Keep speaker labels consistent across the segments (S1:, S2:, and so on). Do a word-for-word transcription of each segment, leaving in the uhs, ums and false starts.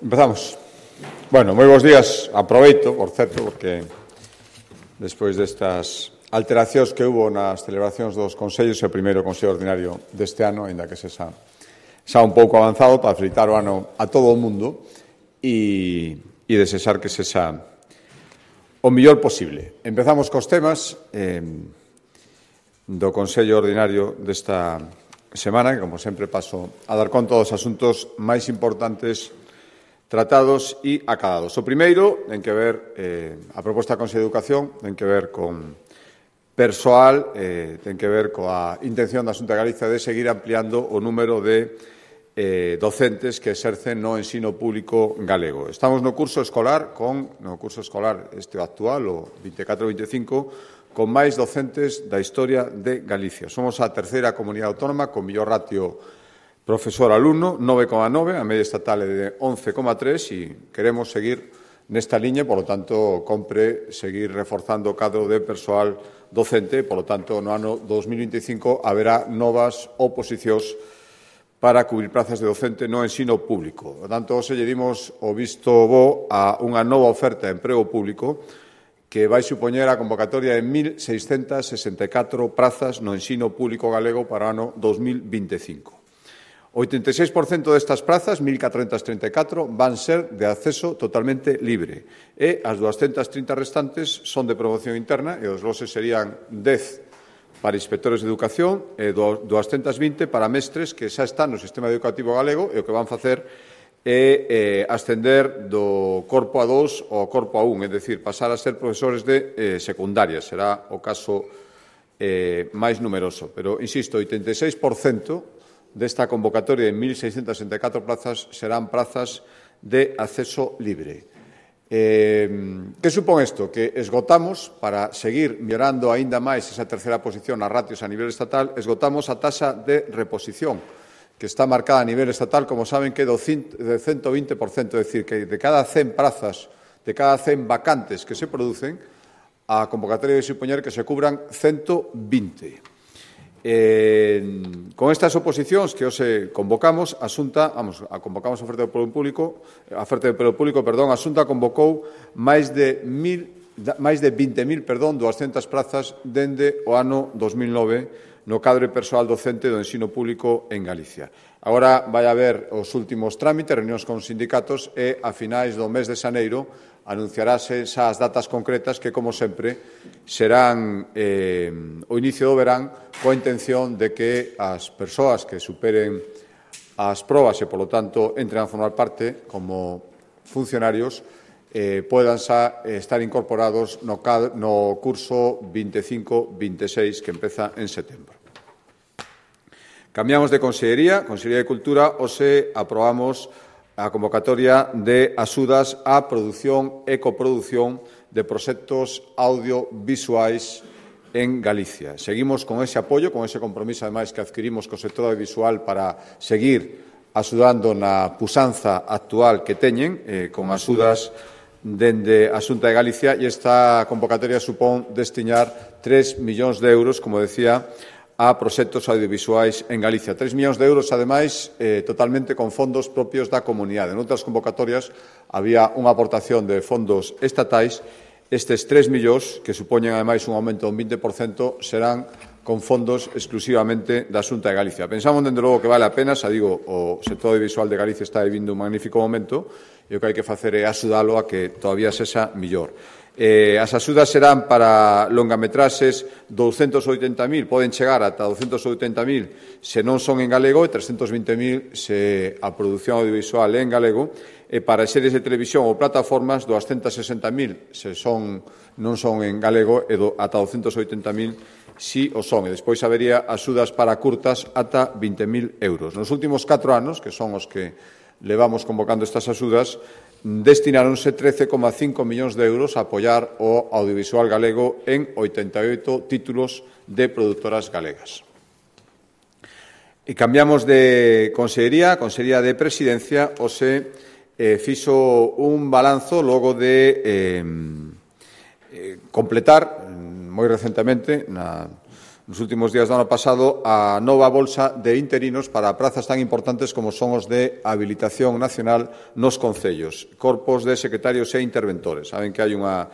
S1: Empezamos. Bueno, moi bons días. Aproveito, por certo, porque despois destas alteracións que hubo nas celebracións dos consellos, o primeiro consello ordinario deste ano, ainda que se xa, xa un pouco avanzado, para felicitar o ano a todo o mundo e, e desexar que se xa o mellor posible. Empezamos cos temas eh, do consello ordinario desta semana, que, como sempre, paso a dar conta dos asuntos máis importantes tratados e acadados. O primeiro ten que ver, eh, a proposta do Consello de Educación, ten que ver con persoal, eh, ten que ver coa intención da Xunta de Galicia de seguir ampliando o número de eh, docentes que exercen no ensino público galego. Estamos no curso escolar, con no curso escolar este actual, o vinte e catro vinte e cinco, con máis docentes da historia de Galicia. Somos a terceira comunidade autónoma con mellor ratio profesor-alumno, nove coma nove, a media estatal é de once coma tres e queremos seguir nesta liña, por lo tanto, compre seguir reforzando o cadro de persoal docente, por lo tanto, no ano dos mil vinte e cinco haberá novas oposicións para cubrir plazas de docente no ensino público. Por tanto, hoxe lle dimos o visto bo a unha nova oferta de emprego público que vai supoñer a convocatoria de mil seiscentas sesenta e catro prazas no ensino público galego para o ano dos mil vinte e cinco. O oitenta e seis por cento destas prazas, mil catrocentas trinta e catro, van ser de acceso totalmente libre e as duascentas trinta restantes son de promoción interna e os loses serían dez para inspectores de educación e duascentas vinte para mestres que xa están no sistema educativo galego e o que van facer é eh, ascender do corpo a dos ao corpo a un, é dicir, pasar a ser profesores de eh, secundaria. Será o caso eh, máis numeroso. Pero, insisto, oitenta e seis por cento desta convocatoria de mil seiscentas sesenta e catro plazas serán plazas de acceso libre. Eh, que supón isto? Que esgotamos, para seguir mellorando aínda máis esa terceira posición nas ratios a nivel estatal, esgotamos a taxa de reposición, que está marcada a nivel estatal, como saben, que é do ciento vinte por cento, é dicir, que de cada cen plazas, de cada cen vacantes que se producen, a convocatoria debe supoñer que se cubran ciento vinte. Eh, con estas oposicións que hoxe convocamos, a Xunta, vamos, a convocamos a oferta de emprego público, a oferta de emprego público, perdón, a Xunta convocou máis de mil, máis de vinte mil, perdón, duascentas plazas dende o ano dos mil nove no cadro persoal docente do ensino público en Galicia. Agora vai haber os últimos trámites, reunións con sindicatos e a finais do mes de xaneiro anunciarase xa as datas concretas que, como sempre, serán eh, o inicio do verán coa intención de que as persoas que superen as probas e, polo tanto, entren a formar parte como funcionarios eh, podan xa estar incorporados no, no curso vinte e cinco vinte e seis que empeza en setembro. Cambiamos de Consellería, Consellería de Cultura, hoxe aprobamos a convocatoria de axudas á produción e coproducción de proxectos audiovisuais en Galicia. Seguimos con ese apoio, con ese compromiso, ademais, que adquirimos co sector audiovisual para seguir axudando na pusanza actual que teñen, eh, con axudas dende a Xunta de Galicia, e esta convocatoria supón destinar tres millóns de euros, como decía, a proxectos audiovisuais en Galicia. tres millóns de euros, ademais, eh, totalmente con fondos propios da comunidade. En outras convocatorias había unha aportación de fondos estatais. Estes tres millóns, que supoñen, ademais, un aumento dun vinte por cento, serán con fondos exclusivamente da Xunta de Galicia. Pensamos, dende logo, que vale a pena, xa digo, o sector audiovisual de Galicia está vivindo un magnífico momento e o que hai que facer é axudalo a que todavía sexa millor. Eh, as axudas serán para longametraxes douscentos oitenta mil, poden chegar ata douscentos oitenta mil se non son en galego e trescentos vinte mil se a produción audiovisual é en galego, e para series de televisión ou plataformas duascentos sesenta mil se son, non son en galego e do, ata douscentos oitenta mil si o son. E despois habería axudas para curtas ata vinte mil euros. Nos últimos catro anos, que son os que levamos convocando estas axudas, destináronse trece coma cinco millóns de euros a apoiar o audiovisual galego en oitenta e oito títulos de produtoras galegas. E cambiamos de Consellería, Consellería de Presidencia, hoxe eh, fixo un balanzo logo de eh, eh, completar moi recentemente na nos últimos días do ano pasado a nova bolsa de interinos para prazas tan importantes como son os de habilitación nacional nos concellos, corpos de secretarios e interventores. Saben que hai unha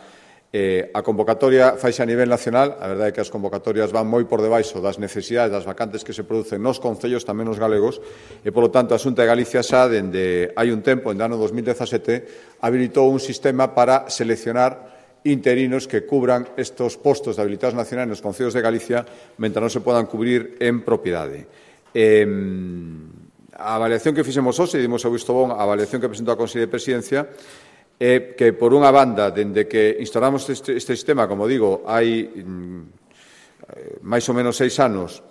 S1: eh, a convocatoria faise a nivel nacional, a verdade é que as convocatorias van moi por debaixo das necesidades das vacantes que se producen nos concellos, tamén nos galegos, e, polo tanto, a Xunta de Galicia xa, dende hai un tempo, en ano dos mil dezasete, habilitou un sistema para seleccionar interinos que cubran estos postos de habilitados nacionais nos concellos de Galicia mentre non se podan cubrir en propiedade. Eh, a avaliación que fixemos hoxe, dimos o visto bon a avaliación que presentou a Consellería de Presidencia, é que, por unha banda, dende que instalamos este, este sistema, como digo, hai mm, máis ou menos seis anos,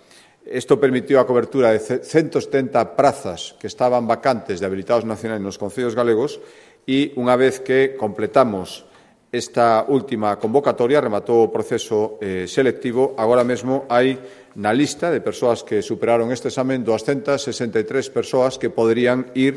S1: isto permitiu a cobertura de ciento setenta prazas que estaban vacantes de habilitados nacionais nos concellos galegos e, unha vez que completamos esta última convocatoria, rematou o proceso eh, selectivo, agora mesmo hai na lista de persoas que superaron este examen doscientas sesenta e tres persoas que poderían ir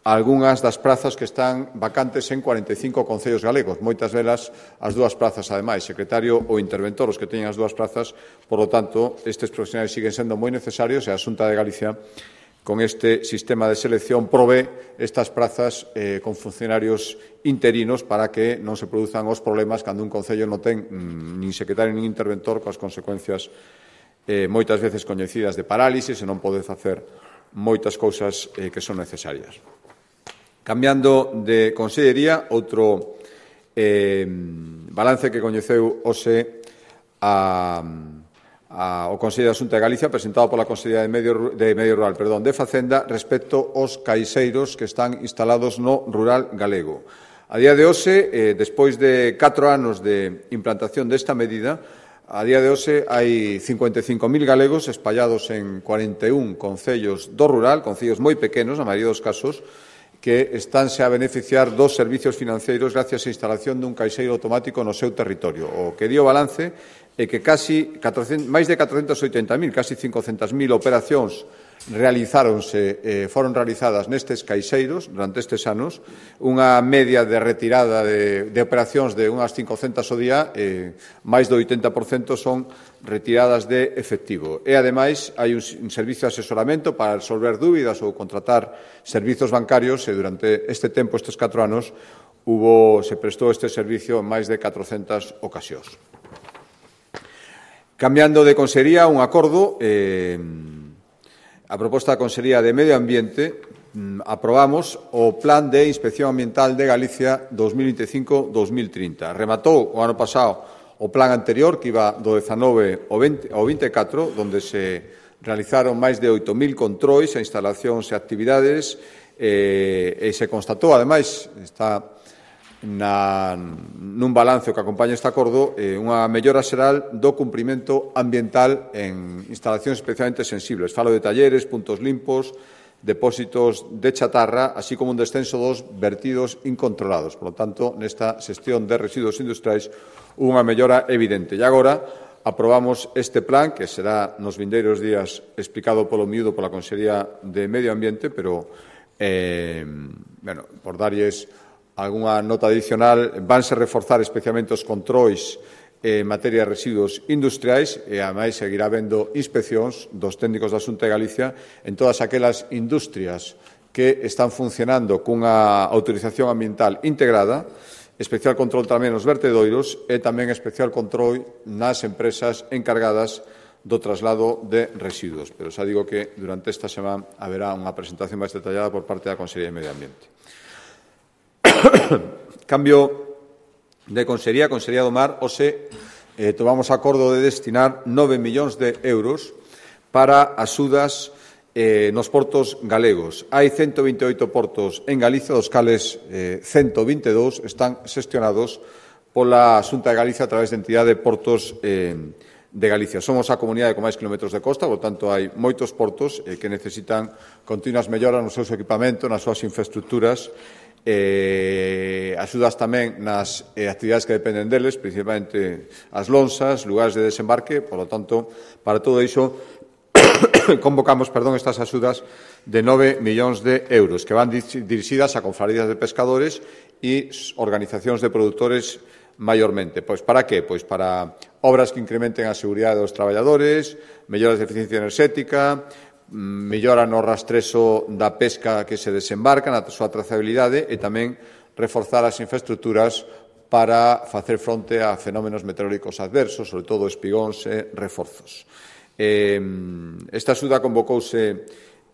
S1: a algunhas das prazas que están vacantes en cuarenta e cinco concellos galegos, moitas velas as dúas prazas, ademais, secretario ou interventor, os que teñen as dúas prazas. Por lo tanto, estes profesionais siguen sendo moi necesarios e a Xunta de Galicia, con este sistema de selección, provee estas prazas eh, con funcionarios interinos para que non se produzan os problemas cando un concello non ten mm, nin secretario nin interventor, coas consecuencias eh, moitas veces coñecidas de parálisis e non pode facer moitas cousas eh, que son necesarias. Cambiando de consellería, outro eh, balance que coñeceu hoxe a... A, o Consello da Xunta de Galicia, presentado pola Consellería de Medio, de Medio Rural perdón, de Facenda, respecto aos caixeiros que están instalados no rural galego. A día de hoxe, eh, despois de catro anos de implantación desta medida, a día de hoxe hai cincuenta e cinco mil galegos espallados en cuarenta e un concellos do rural, concellos moi pequenos, na maioría dos casos, que estánse a beneficiar dos servicios financeiros gracias á instalación dun caixeiro automático no seu territorio. O que dio balance é que casi catrocentos, máis de catrocentos oitenta mil, casi cincocentas mil operacións realizáronse, eh, foron realizadas nestes caixeiros durante estes anos, unha media de retirada de, de operacións de unhas cincocentas ao día, eh, máis do oitenta por cento son retiradas de efectivo. E, ademais, hai un, un servicio de asesoramento para resolver dúbidas ou contratar servizos bancarios e durante este tempo, estes catro anos, hubo, se prestou este servicio en máis de catrocentas ocasións. Cambiando de consellería, un acordo, eh, a proposta da Consellería de Medio Ambiente, mm, aprobamos o Plan de Inspección Ambiental de Galicia dos mil vinte e cinco a dos mil trinta. Rematou o ano pasado o plan anterior, que iba do dezanove ao vinte e catro, onde se realizaron máis de oito mil controis a instalacións e actividades, eh, e se constatou, ademais, está Na, nun balance que acompaña este acordo, eh, unha mellora xeral do cumprimento ambiental en instalacións especialmente sensibles. Falo de talleres, puntos limpos, depósitos de chatarra, así como un descenso dos vertidos incontrolados. Por lo tanto, nesta xestión de residuos industriais, unha mellora evidente. E agora aprobamos este plan, que será nos vindeiros días explicado polo miúdo pola Consellería de Medio Ambiente, pero, eh, bueno, por darlles algunha nota adicional, vanse reforzar especialmente os controis en materia de residuos industriais e, ademais, seguirá habendo inspeccións dos técnicos da Xunta de Galicia en todas aquelas industrias que están funcionando cunha autorización ambiental integrada, especial control tamén nos vertedoiros e tamén especial control nas empresas encargadas do traslado de residuos. Pero xa digo que durante esta semana haberá unha presentación máis detallada por parte da Consellería de Medio Ambiente. Cambio de Consellería, Consellería do Mar, hoxe eh, tomamos acordo de destinar nove millóns de euros para axudas eh, nos portos galegos. Hai ciento vinte e oito portos en Galicia, dos cales eh, ciento vinte e dous están xestionados pola Xunta de Galicia a través de entidade de portos eh, de Galicia. Somos a comunidade con máis kilómetros de costa, por tanto, hai moitos portos eh, que necesitan continuas melloras nos seus equipamentos, nas súas infraestructuras, eh, axudas tamén nas eh, actividades que dependen deles, principalmente as lonxas, lugares de desembarque. Por lo tanto, para todo iso, convocamos, perdón, estas axudas de nove millóns de euros que van dirixidas a confrarías de pescadores e organizacións de produtores maiormente. Pois para que? Pois para obras que incrementen a seguridade dos traballadores, melloras de eficiencia enerxética, mellora no rastrezo da pesca que se desembarca, na súa trazabilidade e tamén reforzar as infraestructuras para facer fronte a fenómenos meteorológicos adversos, sobre todo espigóns e reforzos. Eh, esta axuda convocouse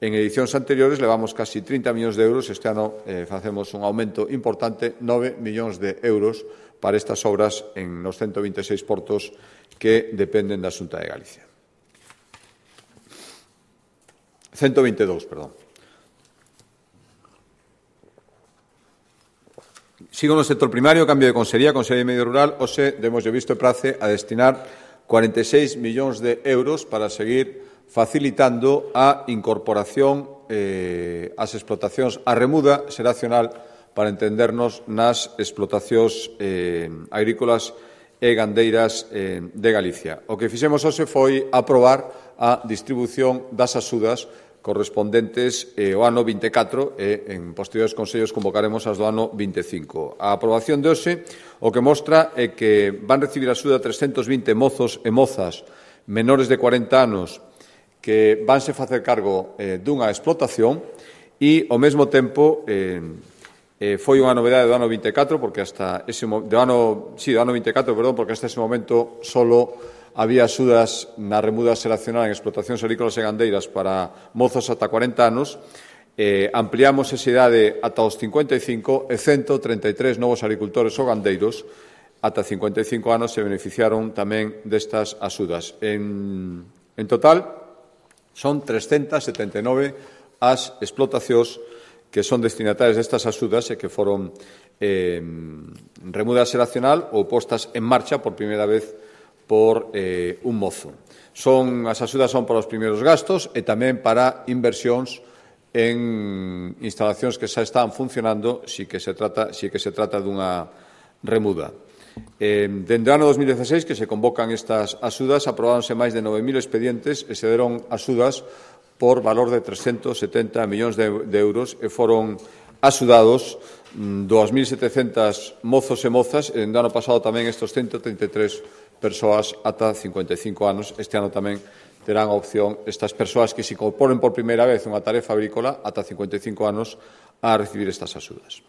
S1: en edicións anteriores, levamos casi trinta millóns de euros, este ano eh, facemos un aumento importante, nove millóns de euros para estas obras en nos ciento vinte e seis portos que dependen da Xunta de Galicia. ciento vinte e dous, perdón. Sigo no sector primario, cambio de consellería, Consellería de Medio Rural, hoxe demos visto e prace a destinar cuarenta e seis millóns de euros para seguir facilitando a incorporación eh, ás explotacións, a remuda xeracional para entendernos nas explotacións eh, agrícolas e gandeiras eh, de Galicia. O que fixemos hoxe foi aprobar a distribución das axudas correspondentes eh, ao ano vinte e catro e en posteriores consellos convocaremos as do ano vinte e cinco. A aprobación de hoxe o que mostra é que van recibir axuda trescentos vinte mozos e mozas menores de cuarenta anos que vanse facer cargo eh, dunha explotación e, ao mesmo tempo, eh, eh, foi unha novedade do ano vinte e catro, porque hasta ese do ano, sí, do ano vinte e catro, perdón, porque hasta ese momento solo había axudas na remuda xeracional en explotacións agrícolas e gandeiras para mozos ata cuarenta anos, eh, ampliamos esa idade ata os cincuenta e cinco e ciento treinta e tres novos agricultores ou gandeiros ata cincuenta e cinco anos se beneficiaron tamén destas axudas. En, en total, son trescentas setenta e nove as explotacións que son destinatarias destas axudas e que foron eh, remuda xeracional ou postas en marcha por primeira vez por eh, un mozo. Son, as axudas son para os primeiros gastos e tamén para inversións en instalacións que xa están funcionando si que se trata, si que se trata dunha remuda. Eh, dende o ano dos mil dieciséis que se convocan estas axudas, aprobáronse máis de nove mil expedientes e se deron axudas por valor de trescentos setenta millóns de, de euros e foron axudados dous mil setecentos mozos e mozas e no ano pasado tamén estes ciento treinta e tres persoas ata cincuenta e cinco anos. Este ano tamén terán a opción estas persoas que se incorporen por primeira vez unha tarefa agrícola ata cincuenta e cinco anos a recibir estas axudas.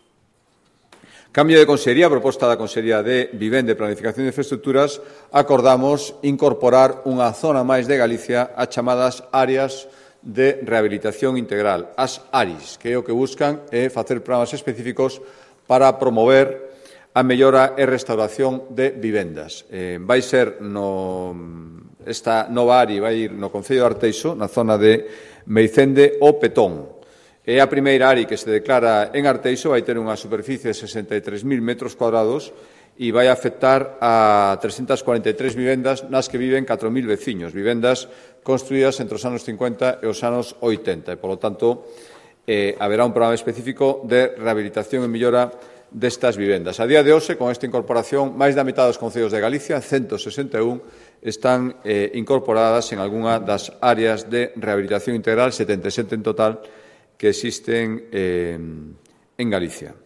S1: Cambio de consellería, proposta da Consellería de Vivenda e Planificación de Infraestructuras, acordamos incorporar unha zona máis de Galicia a chamadas áreas de rehabilitación integral, as A R Is, que é o que buscan é facer programas específicos para promover a mellora e restauración de vivendas. Eh, vai ser no, esta nova A R I vai ir no Concello de Arteixo, na zona de Meicende o Petón. É a primeira A R I que se declara en Arteixo, vai ter unha superficie de sesenta e tres mil metros cuadrados e vai afectar a trescentas cuarenta e tres vivendas nas que viven catro mil veciños, vivendas construídas entre os anos cincuenta e os anos oitenta. E, polo tanto, eh, haberá un programa específico de rehabilitación e mellora destas vivendas. A día de hoxe, con esta incorporación, máis da metade dos concellos de Galicia, ciento sesenta e un, están eh, incorporadas en algunha das áreas de rehabilitación integral, setenta e sete en total, que existen eh, en Galicia.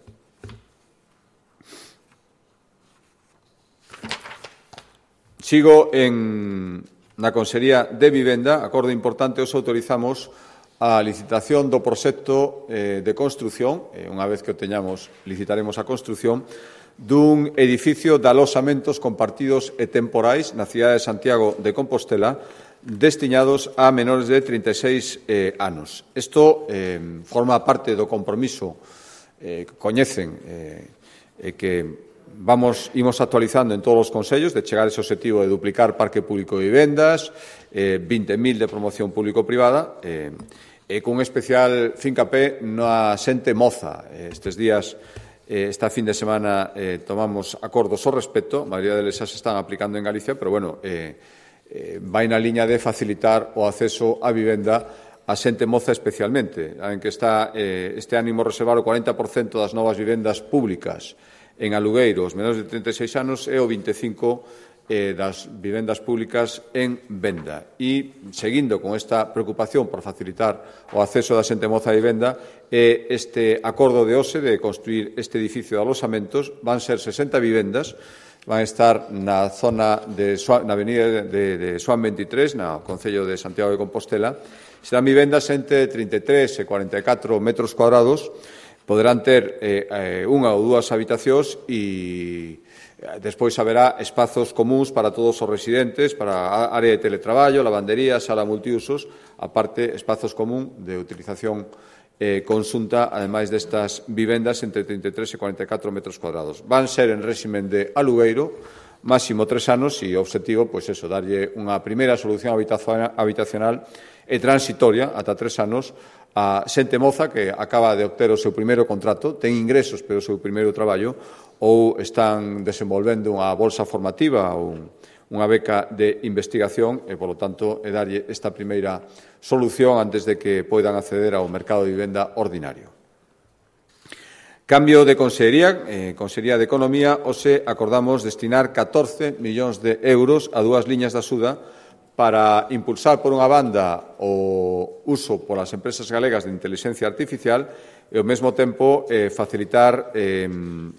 S1: Sigo en, na Consellería de Vivenda, acordo importante, os autorizamos a licitación do proxecto eh, de construción, eh, unha vez que o teñamos, licitaremos a construción, dun edificio de alosamentos compartidos e temporais na cidade de Santiago de Compostela, destinados a menores de trinta e seis eh, anos. Isto eh, forma parte do compromiso eh, que coñecen eh, e que vamos, imos actualizando en todos os consellos de chegar a ese objetivo de duplicar parque público de vivendas, eh, vinte mil de promoción público-privada, eh, e cun especial fincapé na xente moza. Eh, estes días, eh, esta fin de semana, eh, tomamos acordos ao respecto, a maioría deles xa se están aplicando en Galicia, pero, bueno, eh, eh, vai na liña de facilitar o acceso á vivenda a xente moza especialmente, en que está eh, este ánimo reservar o cuarenta por cento das novas vivendas públicas en alugueiros menores de trinta e seis anos e o vinte e cinco por cento eh, das vivendas públicas en venda. E, seguindo con esta preocupación por facilitar o acceso da xente moza a vivenda, eh, este acordo de hoxe de construir este edificio de alosamentos van ser sesenta vivendas van a estar na zona de na avenida de, de Xoán veintitrés, no Concello de Santiago de Compostela. Serán vivendas entre trinta e tres e cuarenta e catro metros cuadrados, poderán ter eh, unha ou dúas habitacións e despois haberá espazos comuns para todos os residentes, para a área de teletraballo, lavandería, sala multiusos, aparte espazos común de utilización eh, conxunta, ademais destas vivendas entre trinta e tres e cuarenta e catro metros cuadrados. Van ser en réximen de alugueiro, máximo tres anos e o obxectivo, pois eso, darlle unha primeira solución habitacional e transitoria ata tres anos a xente moza que acaba de obter o seu primeiro contrato, ten ingresos pero o seu primeiro traballo, ou están desenvolvendo unha bolsa formativa ou unha beca de investigación e, polo tanto, é darlle esta primeira solución antes de que poidan acceder ao mercado de vivenda ordinario. Cambio de Consellería, eh, Consellería de Economía, hoxe acordamos destinar catorce millóns de euros a dúas liñas de axuda para impulsar, por unha banda, o uso polas empresas galegas de inteligencia artificial e, ao mesmo tempo, eh, facilitar eh,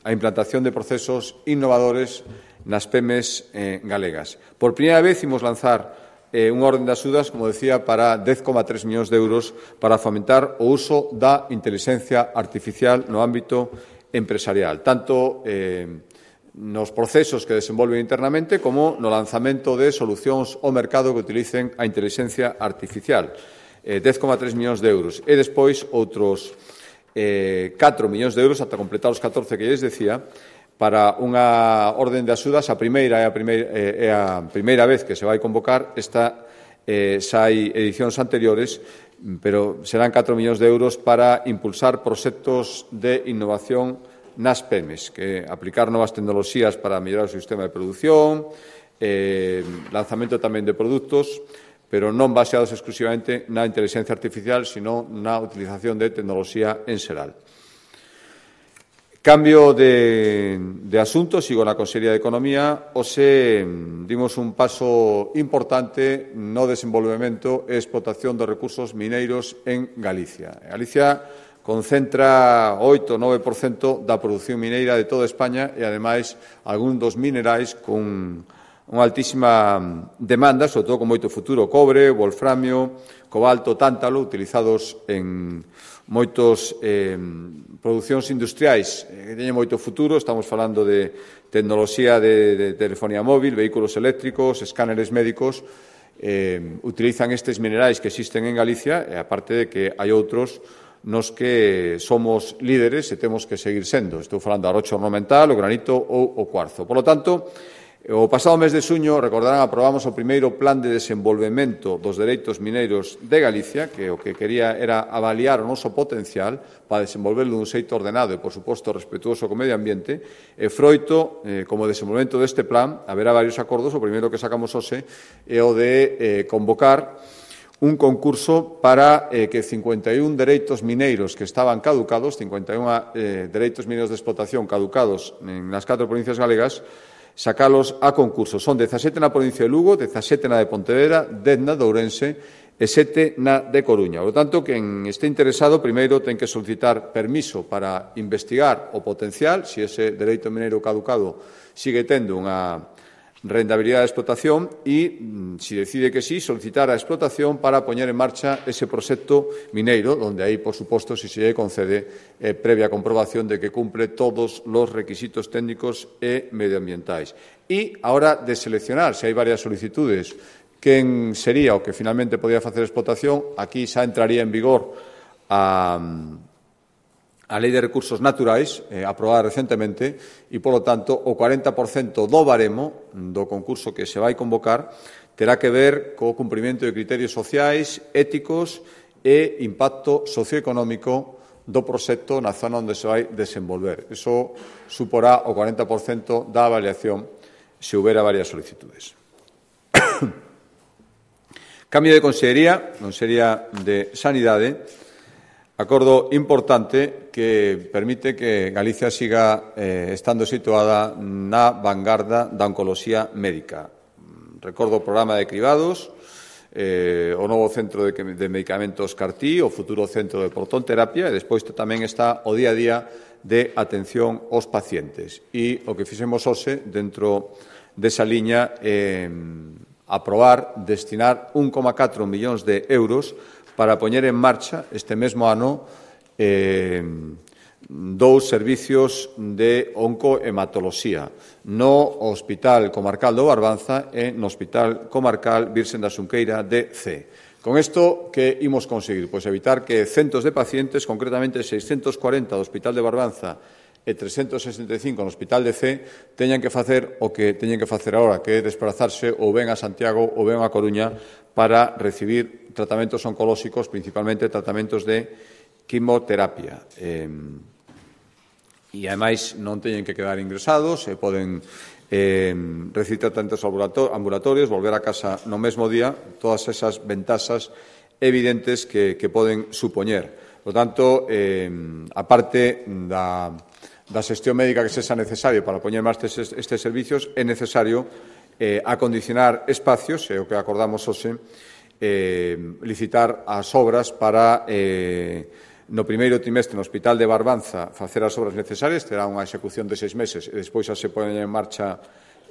S1: a implantación de procesos innovadores nas pemes eh, galegas. Por primeira vez, imos lanzar eh, unha orden de axudas, como decía, para dez coma tres millóns de euros para fomentar o uso da inteligencia artificial no ámbito empresarial, tanto eh, nos procesos que desenvolven internamente como no lanzamento de solucións ao mercado que utilicen a inteligencia artificial. Eh, dez coma tres millóns de euros. E despois outros eh, catro millóns de euros, ata completar os catorce que lles decía, para unha orden de axudas. A primeira é a primeira, é a primeira vez que se vai convocar. Esta eh, xa hai edicións anteriores, pero serán catro millóns de euros para impulsar proxectos de innovación nas pemes, que aplicar novas tecnoloxías para mellorar o sistema de produción, eh, lanzamento tamén de produtos, pero non baseados exclusivamente na inteligencia artificial, sino na utilización de tecnoloxía en xeral. Cambio de, de asunto, sigo na Consellería de Economía. Hoxe dimos un paso importante no desenvolvemento e explotación dos recursos mineiros en Galicia. Galicia concentra oito ou nove por cento da produción mineira de toda España e, ademais, algún dos minerais con unha altísima demanda, sobre todo con moito futuro: cobre, wolframio, cobalto, tántalo, utilizados en moitos eh, producións industriais que teñen moito futuro. Estamos falando de tecnoloxía de, de telefonía móvil, vehículos eléctricos, escáneres médicos. Eh, utilizan estes minerais que existen en Galicia, e aparte de que hai outros nos que somos líderes e temos que seguir sendo. Estou falando do arrocho ornamental, o granito ou o cuarzo. Por lo tanto, o pasado mes de xuño, recordarán, aprobamos o primeiro plan de desenvolvemento dos dereitos mineiros de Galicia, que o que quería era avaliar o noso potencial para desenvolverlo dun xeito ordenado e, por suposto, respetuoso co medio ambiente. E froito, eh, como desenvolvemento deste plan, haberá varios acordos. O primeiro que sacamos hoxe é o de eh, convocar un concurso para eh, que cincuenta e un dereitos mineiros que estaban caducados, cincuenta e un eh, dereitos mineiros de explotación caducados en nas catro provincias galegas, sacalos a concurso. Son dezasete na provincia de Lugo, dezasete na de Pontevedra, dez na de Ourense e sete na de Coruña. Por lo tanto, quen este interesado, primeiro ten que solicitar permiso para investigar o potencial, se ese dereito mineiro caducado sigue tendo unha rendabilidade de explotación, e, se decide que sí, solicitar a explotación para poñer en marcha ese proxecto mineiro, onde aí, por suposto, se se lle concede eh, previa comprobación de que cumple todos os requisitos técnicos e medioambientais. E, a hora de seleccionar, se hai varias solicitudes, quen sería o que finalmente podía facer explotación, aquí xa entraría en vigor a a Lei de Recursos Naturais, eh, aprobada recentemente, e, polo tanto, o cuarenta por cento do baremo do concurso que se vai convocar terá que ver co cumprimento de criterios sociais, éticos e impacto socioeconómico do proxecto na zona onde se vai desenvolver. Iso suporá o cuarenta por cento da avaliación se houbera varias solicitudes. Cambio de Consellería, Consellería de Sanidade. Acordo importante que permite que Galicia siga eh, estando situada na vanguarda da oncoloxía médica. Recordo o programa de cribados, eh, o novo centro de, de medicamentos C A R T I, o futuro centro de protonterapia, e despois tamén está o día a día de atención aos pacientes. E o que fixemos hoxe, dentro desa liña, é aprobar destinar un coma catro millóns de euros para poñer en marcha este mesmo ano eh, dous servicios de oncohematoloxía no Hospital Comarcal do Barbanza e no Hospital Comarcal Virxen da Xunqueira de Cee. Con isto, que imos conseguir? Pois evitar que centos de pacientes, concretamente seiscentos cuarenta do Hospital de Barbanza e trescentos sesenta e cinco no Hospital de Cee, teñan que facer o que teñen que facer agora, que é desplazarse ou ben a Santiago ou ben a Coruña para recibir tratamentos oncolóxicos, principalmente tratamentos de quimioterapia. Eh, e, ademais, non teñen que quedar ingresados e poden eh, recibir tratamentos ambulatorios, volver a casa no mesmo día, todas esas ventaxas evidentes que, que poden supoñer. Por tanto, eh, a parte da, da xestión médica que sexa necesario para poñer máis estes, estes servicios, é necesario eh, acondicionar espacios, é o que acordamos hoxe, eh, licitar as obras para eh, no primeiro trimestre no Hospital de Barbanza facer as obras necesarias, terá unha execución de seis meses e despois xa se poñen en marcha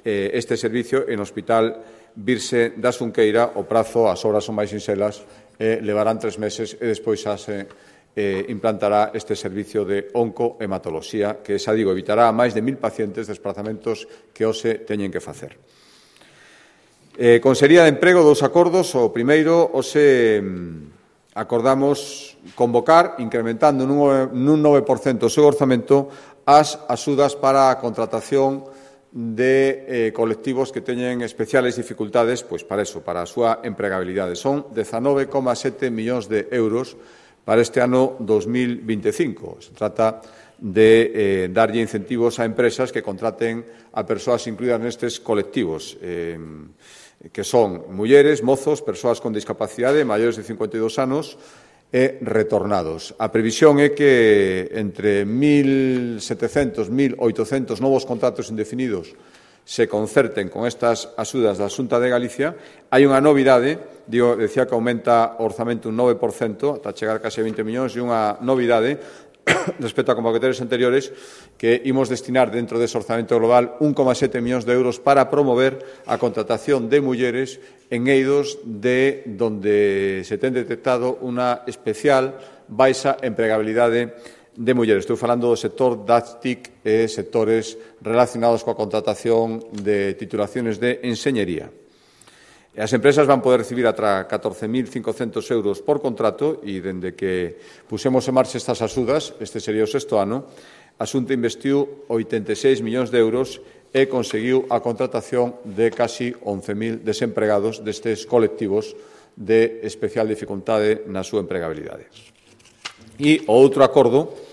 S1: eh, este servicio. E no Hospital Virxe da Xunqueira o prazo, as obras son máis sinxelas, eh, levarán tres meses e despois xa se eh, implantará este servicio de oncohematoloxía que, xa digo, evitará a máis de mil pacientes desplazamentos que hoxe teñen que facer. Eh, Consellería de Emprego, dous acordos. O primeiro, hoxe acordamos convocar, incrementando nun nove por cento o seu orzamento, as axudas para a contratación de eh, colectivos que teñen especiales dificultades, pois para eso, para a súa empregabilidade. Son dezanove coma sete millóns de euros para este ano dos mil vinte e cinco. Se trata de eh, darlle incentivos a empresas que contraten a persoas incluídas nestes colectivos, eh, que son mulleres, mozos, persoas con discapacidade, maiores de cincuenta e dous anos e retornados. A previsión é que entre mil setecentos, mil oitocentos novos contratos indefinidos se concerten con estas axudas da Xunta de Galicia. Hai unha novidade, digo, decía que aumenta o orzamento un nove por cento, ata chegar case a vinte millóns, e unha novidade respecto a convocatorias anteriores, que imos destinar dentro dese orzamento global un coma sete millóns de euros para promover a contratación de mulleres en eidos de donde se ten detectado unha especial baixa empregabilidade de mulleres. Estou falando do sector das T I C e sectores relacionados coa contratación de titulaciones de enseñería. As empresas van poder recibir ata catorce mil cincocentos euros por contrato e, dende que pusemos en marcha estas axudas, este sería o sexto ano, a Xunta investiu oitenta e seis millóns de euros e conseguiu a contratación de casi once mil desempregados destes colectivos de especial dificultade na súa empregabilidade. E o outro acordo,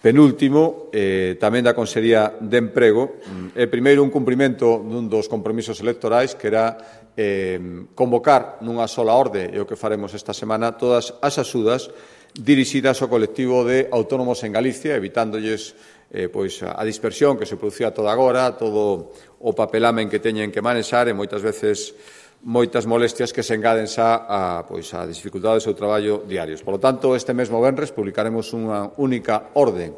S1: penúltimo, eh, tamén da Consellería de Emprego, é primeiro un cumprimento dun dos compromisos electorais, que era eh, convocar nunha sola orde, e o que faremos esta semana, todas as axudas dirixidas ao colectivo de autónomos en Galicia, evitándolles eh, pois, a dispersión que se producía toda agora, todo o papelamen que teñen que manexar e moitas veces moitas molestias que se engaden xa a, pois, a dificultades do seu traballo diarios. Por lo tanto, este mesmo venres publicaremos unha única orden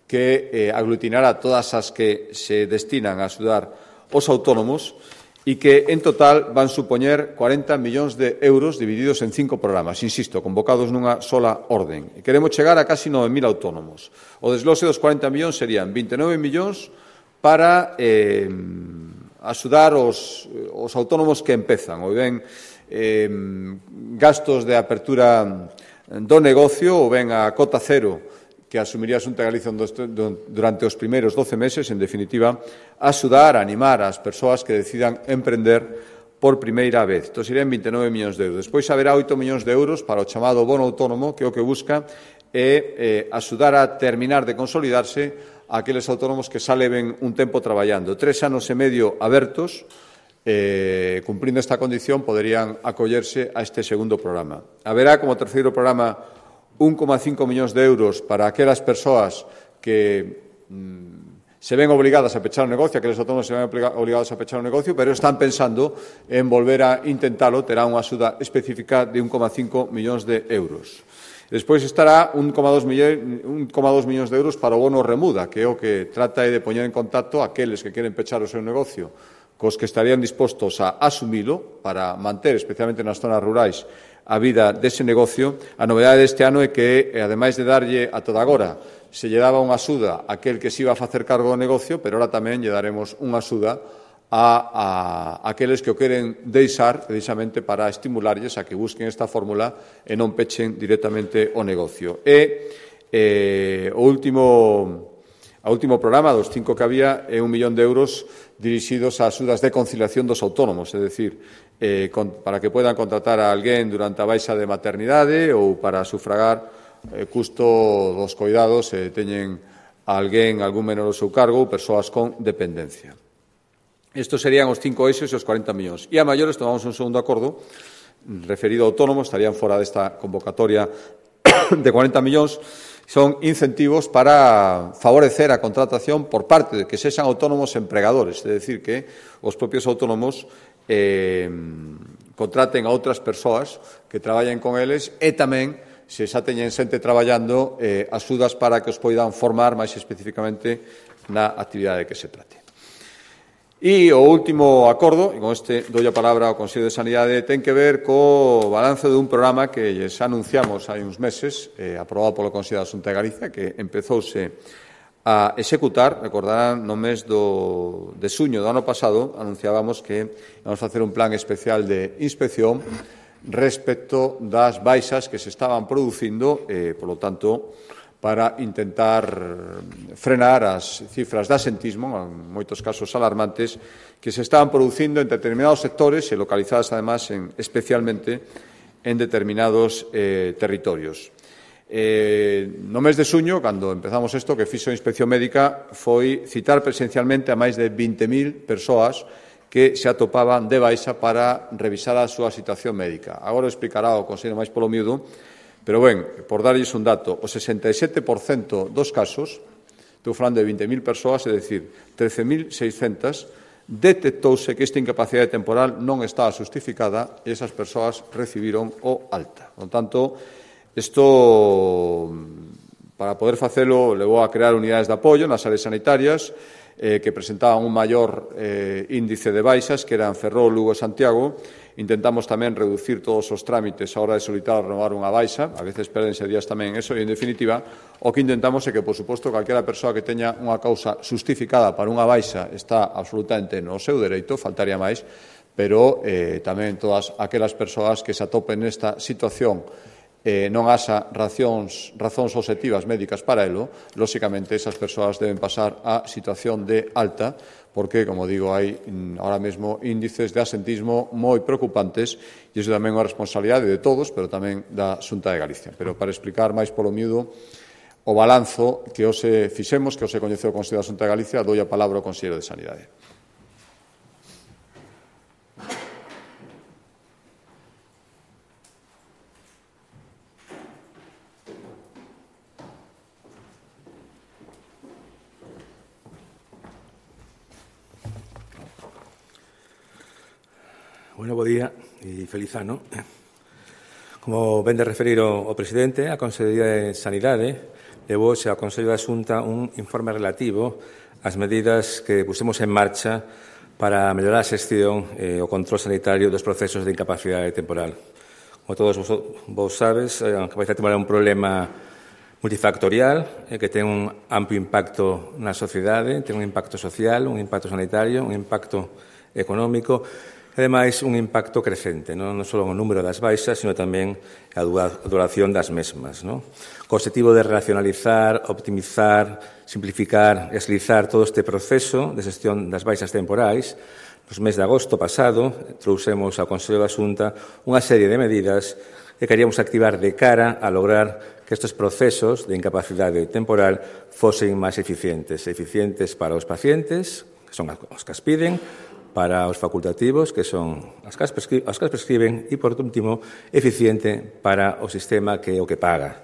S1: que eh, aglutinará todas as que se destinan a axudar os autónomos e que, en total, van supoñer cuarenta millóns de euros divididos en cinco programas, insisto, convocados nunha sola orden. E queremos chegar a casi nove mil autónomos. O desglose dos cuarenta millóns serían vinte e nove millóns para eh, axudar os, os autónomos que empezan, ou ben eh, gastos de apertura do negocio, ou ben a cota cero que asumiría a Xunta de Galicia durante os primeiros doce meses, en definitiva, axudar, animar as persoas que decidan emprender por primeira vez. Isto serían vinte e nove millóns de euros. Despois haberá oito millóns de euros para o chamado bono autónomo, que é o que busca é eh, axudar a terminar de consolidarse aqueles autónomos que xa leven un tempo traballando. Tres anos e medio abertos, eh, cumprindo esta condición, poderían acollerse a este segundo programa. Haberá como terceiro programa un coma cinco millóns de euros para aquelas persoas que mm, se ven obligadas a pechar o negocio, aqueles autónomos se ven obligados a pechar o negocio, pero están pensando en volver a intentalo, terá unha axuda específica de un coma cinco millóns de euros. Despois estará un coma dos millóns de euros para o bono remuda, que é o que trata de poñer en contacto aqueles que queren pechar o seu negocio cos que estarían dispostos a asumilo para manter, especialmente nas zonas rurais, a vida dese negocio. A novedade deste ano é que, ademais de darlle a toda agora, se lle daba unha axuda a aquel que se iba a facer cargo do negocio, pero ahora tamén lle daremos unha axuda a, a aqueles que o queren deixar precisamente para estimularlles a que busquen esta fórmula e non pechen directamente o negocio. E eh, o último, o último programa dos cinco que había é un millón de euros dirixidos a axudas de conciliación dos autónomos, é dicir, eh, con, para que podan contratar a alguén durante a baixa de maternidade ou para sufragar eh, custo dos coidados e eh, teñen a alguén, algún menor ao seu cargo ou persoas con dependencia. Estos serían os cinco eixos e os cuarenta millóns. E a maiores tomamos un segundo acordo referido a autónomos, estarían fora desta convocatoria de cuarenta millóns, son incentivos para favorecer a contratación por parte de que sexan autónomos empregadores, é dicir, que os propios autónomos eh, contraten a outras persoas que traballen con eles e tamén, se xa teñen xente traballando, eh, axudas para que os poidan formar máis especificamente na actividade que se trate. E o último acordo, e con este doi a palabra ao Consello de Sanidade, ten que ver co balance dun programa que lles anunciamos hai uns meses, eh, aprobado polo Consello da Xunta de Galicia, que empezouse a executar. Recordarán, no mes do, de suño do ano pasado, anunciábamos que íbamos a facer un plan especial de inspección respecto das baixas que se estaban producindo, eh, polo tanto, para intentar frenar as cifras de asentismo, en moitos casos alarmantes, que se estaban producindo en determinados sectores e localizadas, además, en, especialmente en determinados eh, territorios. Eh, no mes de suño, cando empezamos isto, que fixo a inspección médica, foi citar presencialmente a máis de vinte mil persoas que se atopaban de baixa para revisar a súa situación médica. Agora o explicará o Consello máis polo miúdo. Pero, ben, por darlles un dato, o sesenta e sete por cento dos casos, estou falando de vinte mil persoas, é dicir, trece mil seiscentas, detectouse que esta incapacidade temporal non estaba justificada e esas persoas recibiron o alta. Por tanto, isto, para poder facelo, levou a crear unidades de apoio nas áreas sanitarias eh, que presentaban un maior eh, índice de baixas, que eran Ferrol, Lugo e Santiago. Intentamos tamén reducir todos os trámites a hora de solicitar renovar unha baixa, a veces perdense días tamén eso, e, en definitiva, o que intentamos é que, por suposto, calquera persoa que teña unha causa justificada para unha baixa está absolutamente no seu dereito, faltaría máis, pero eh, tamén todas aquelas persoas que se atopen nesta situación eh, non haxa razóns, razóns obxectivas médicas para elo, lóxicamente esas persoas deben pasar a situación de alta, porque, como digo, hai ahora mesmo índices de asentismo moi preocupantes e iso tamén é unha responsabilidade de todos, pero tamén da Xunta de Galicia. Pero para explicar máis polo miúdo o balanzo que hoxe fixemos, que hoxe coñeceu o Consello da Xunta de Galicia, doi a palabra ao Consello de Sanidade.
S2: Bueno, bo día e feliz ano. Como ven de referir o, o presidente, a Consellería de Sanidade levouse ao Consello da Xunta un informe relativo ás medidas que pusemos en marcha para mellorar a xestión e o control sanitario dos procesos de incapacidade temporal. Como todos vos, vos sabes, a incapacidade temporal é un problema multifactorial eh, que ten un amplio impacto na sociedade, ten un impacto social, un impacto sanitario, un impacto económico. Ademais, un impacto crecente, non, non só no número das baixas, sino tamén a duración das mesmas, non? Co objetivo de racionalizar, optimizar, simplificar e agilizar todo este proceso de xestión das baixas temporais, nos mes de agosto pasado, trouxemos ao Consello da Xunta unha serie de medidas que queríamos activar de cara a lograr que estes procesos de incapacidade temporal fosen máis eficientes, eficientes para os pacientes, que son os que as piden, para os facultativos, que son as que as prescriben, e, por último, eficiente para o sistema que é o que paga.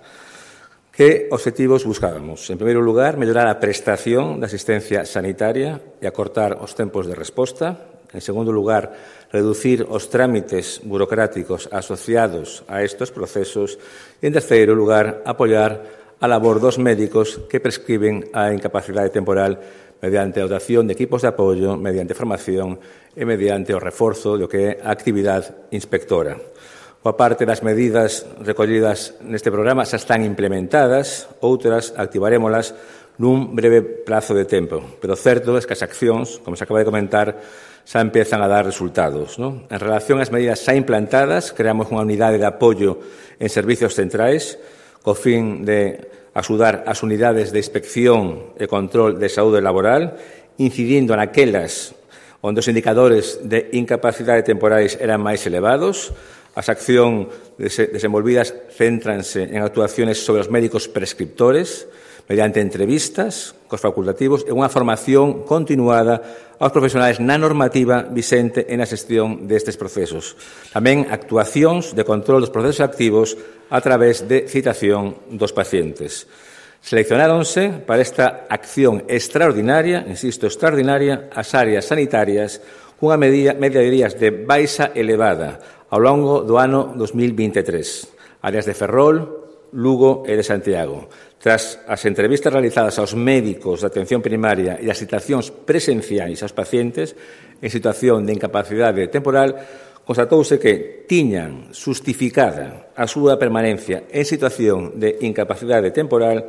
S2: Que obxectivos buscábamos? En primeiro lugar, mellorar a prestación da asistencia sanitaria e acortar os tempos de resposta En segundo lugar, reducir os trámites burocráticos asociados a estes procesos. E, en terceiro lugar, apoiar a labor dos médicos que prescriben a incapacidade temporal mediante a dotación de equipos de apoio, mediante formación e mediante o reforzo do que é a actividade inspectora. Coa parte das medidas recollidas neste programa xa están implementadas, outras activarémolas nun breve prazo de tempo, pero certo é que as accións, como se acaba de comentar, xa empezan a dar resultados, non? En relación ás medidas xa implantadas, creamos unha unidade de apoio en servicios centrais co fin de axudar as unidades de inspección e control de saúde laboral, incidindo naquelas onde os indicadores de incapacidade temporais eran máis elevados. As accións desenvolvidas céntranse en actuaciones sobre os médicos prescriptores, mediante entrevistas cos facultativos e unha formación continuada aos profesionais na normativa vixente en a xestión destes procesos. Tamén actuacións de control dos procesos activos a través de citación dos pacientes. Seleccionáronse para esta acción extraordinaria, insisto, extraordinaria, as áreas sanitarias cunha media de días de baixa elevada ao longo do ano dos mil vinte e tres. Áreas de Ferrol, Lugo e de Santiago. Tras as entrevistas realizadas aos médicos de atención primaria e as citacións presenciais aos pacientes en situación de incapacidade temporal, constatouse que tiñan justificada a súa permanencia en situación de incapacidade temporal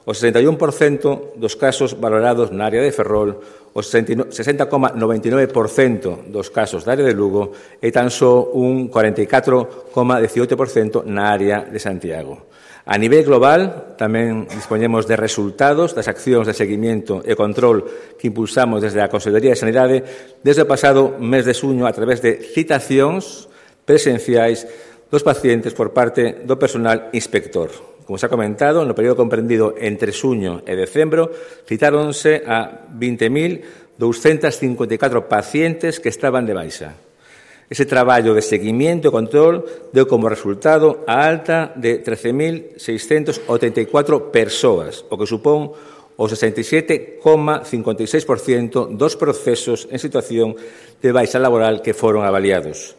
S2: o sesenta e un por cento dos casos valorados na área de Ferrol, o sesenta coma noventa e nove por cento dos casos da área de Lugo e tan só un cuarenta e catro coma diecioito por cento na área de Santiago. A nivel global, tamén dispoñemos de resultados das accións de seguimento e control que impulsamos desde a Consellería de Sanidade desde o pasado mes de xuño a través de citacións presenciais dos pacientes por parte do personal inspector. Como se ha comentado, no período comprendido entre xuño e decembro, citáronse a vinte mil douscentos cincuenta e catro pacientes que estaban de baixa. Ese traballo de seguimento e control deu como resultado a alta de trece mil seiscentos oitenta e catro persoas, o que supón o sesenta e sete coma cincuenta e seis por cento dos procesos en situación de baixa laboral que foron avaliados.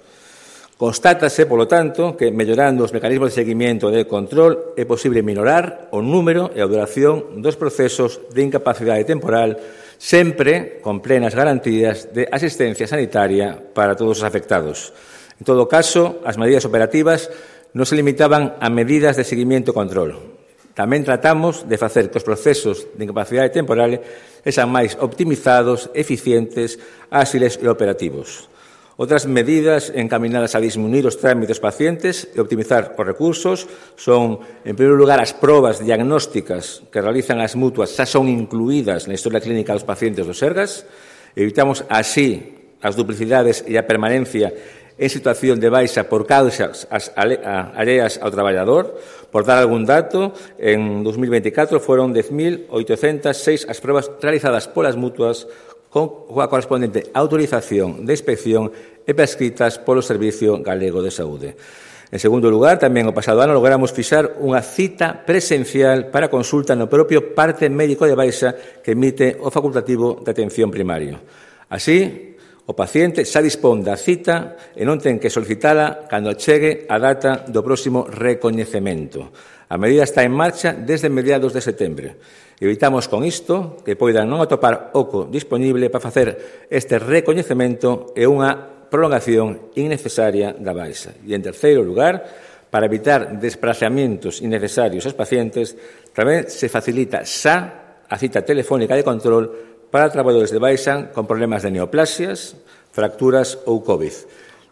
S2: Constátase, polo tanto, que mellorando os mecanismos de seguimento e de control é posible minorar o número e a duración dos procesos de incapacidade temporal, sempre con plenas garantías de asistencia sanitaria para todos os afectados. En todo caso, as medidas operativas non se limitaban a medidas de seguimento e control. Tamén tratamos de facer que os procesos de incapacidade temporal sexan máis optimizados, eficientes, áxiles e operativos. Outras medidas encaminadas a disminuir os trámites pacientes e optimizar os recursos son, en primeiro lugar, as probas diagnósticas que realizan as mutuas xa son incluídas na historia clínica dos pacientes do Sergas. Evitamos así as duplicidades e a permanencia en situación de baixa por causas alleas ao traballador. Por dar algún dato, en dos mil veinticatro foron dez mil oitocentas seis as probas realizadas polas mutuas con a correspondente autorización de inspección e prescritas polo Servicio Galego de Saúde. En segundo lugar, tamén o pasado ano logramos fixar unha cita presencial para consulta no propio parte médico de baixa que emite o facultativo de atención primario. Así, o paciente xa dispón da cita e non ten que solicitala cando chegue a data do próximo recoñecemento. A medida está en marcha desde mediados de setembro. Evitamos con isto que poidan non atopar oco dispoñible para facer este recoñecemento e unha prolongación innecesaria da baixa. E, en terceiro lugar, para evitar desplazamientos innecesarios aos pacientes, tamén se facilita xa a cita telefónica de control para traballadores de baixa con problemas de neoplasias, fracturas ou COVID.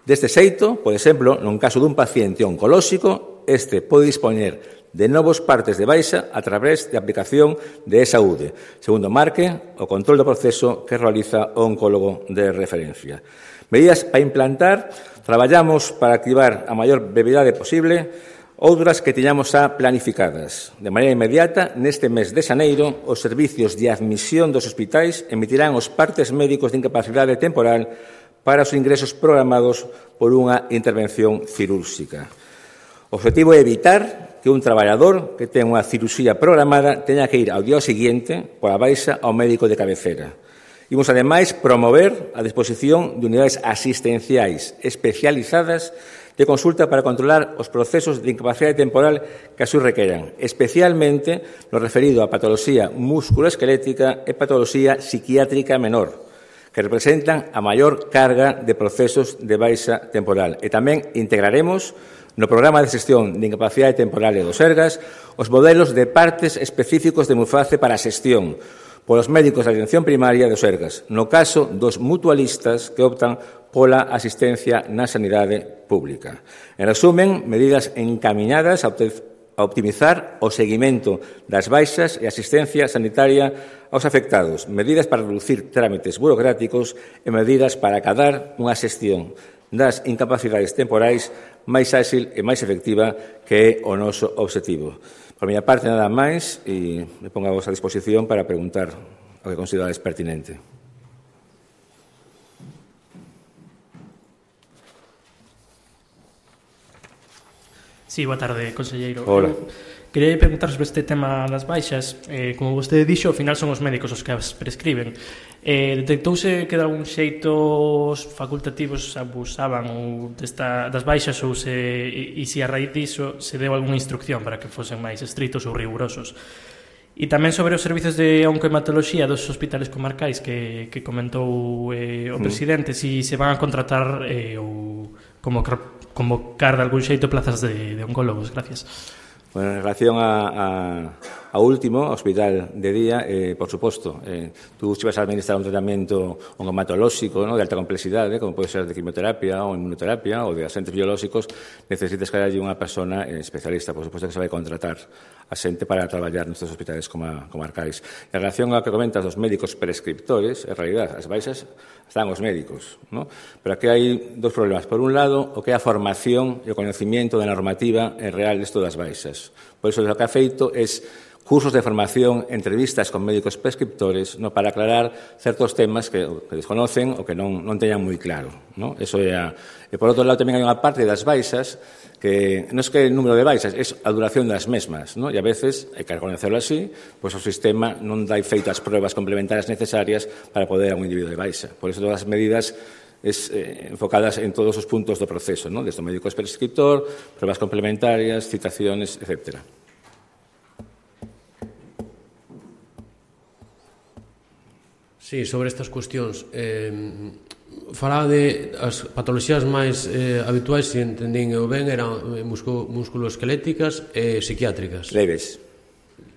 S2: Deste xeito, por exemplo, nun caso dun paciente oncolóxico, este pode dispoñer de novos partes de baixa a través de aplicación de e-saúde, segundo marque o control do proceso que realiza o oncólogo de referencia. Medidas para implantar, traballamos para activar a maior brevidade posible outras que tiñamos xa planificadas. De maneira inmediata, neste mes de xaneiro, os servicios de admisión dos hospitais emitirán os partes médicos de incapacidade temporal para os ingresos programados por unha intervención cirúrxica. O objetivo é evitar que un traballador que ten unha cirurxía programada teña que ir ao día seguinte pola baixa ao médico de cabecera. Imos, ademais, promover a disposición de unidades asistenciais especializadas de consulta para controlar os procesos de incapacidade temporal que así requeran, especialmente no referido a patoloxía musculoesquelética e patoloxía psiquiátrica menor, que representan a maior carga de procesos de baixa temporal. E tamén integraremos no programa de xestión de incapacidade temporal e do Sergas os modelos de partes específicos de Muface para a xestión polos médicos da atención primaria do Sergas, no caso dos mutualistas que optan pola asistencia na sanidade pública. En resumen, medidas encaminadas a optimizar o seguimento das baixas e asistencia sanitaria aos afectados, medidas para reducir trámites burocráticos e medidas para acadar unha xestión das incapacidades temporais máis áxil e máis efectiva, que é o noso obxectivo. Por miña parte, nada máis, e me pongo a vosa disposición para preguntar o que considerades pertinente.
S3: Sí, boa tarde, conselleiro.
S2: Hola.
S3: Quería preguntar sobre este tema das baixas. Eh, como vostede dixo, ao final son os médicos os que as prescriben. Eh, detectouse que de algún xeito os facultativos abusaban ou desta, das baixas ou se, e, e se a raíz diso se deu algunha instrucción para que fosen máis estritos ou rigurosos. E tamén sobre os servizos de oncohematoloxía dos hospitales comarcais que, que comentou eh, o presidente, mm. si se van a contratar eh, ou como convocar de algún xeito plazas de, de oncólogos. Gracias.
S2: Bueno, en relación a, a, a último, hospital de día, eh, por suposto, eh, tú se vas a administrar un tratamento oncomatolóxico, ¿no?, de alta complexidade, como pode ser de quimioterapia ou inmunoterapia ou de agentes biolóxicos, necesitas que haya unha persona eh, especialista. Por suposto que se vai contratar a xente para traballar nestes hospitales coma, comarcais. En relación ao que comentas dos médicos prescriptores, en realidad, as baixas están os médicos, ¿no? Pero aquí hai dos problemas. Por un lado, o que é a formación e o conocimiento da normativa en real desto das baixas. Por iso, o que ha feito é cursos de formación, entrevistas con médicos prescriptores, no, para aclarar certos temas que, que desconocen ou que non, non teñan moi claro, no? Eso é a... E, por outro lado, tamén hai unha parte das baixas que non é que o número de baixas, é a duración das mesmas, no? E a veces, hai que reconocerlo así, pois o sistema non dai feitas pruebas complementarias necesarias para poder a un individuo de baixa. Por iso, todas as medidas es, eh, enfocadas en todos os puntos do proceso, ¿no? Desde o médico prescriptor, pruebas complementarias, citaciones, etcétera.
S4: Sí, sobre estas cuestións, eh, falaba de as patoloxías máis eh, habituais, se entendín eu ben, eran musculoesqueléticas e psiquiátricas.
S2: Leves.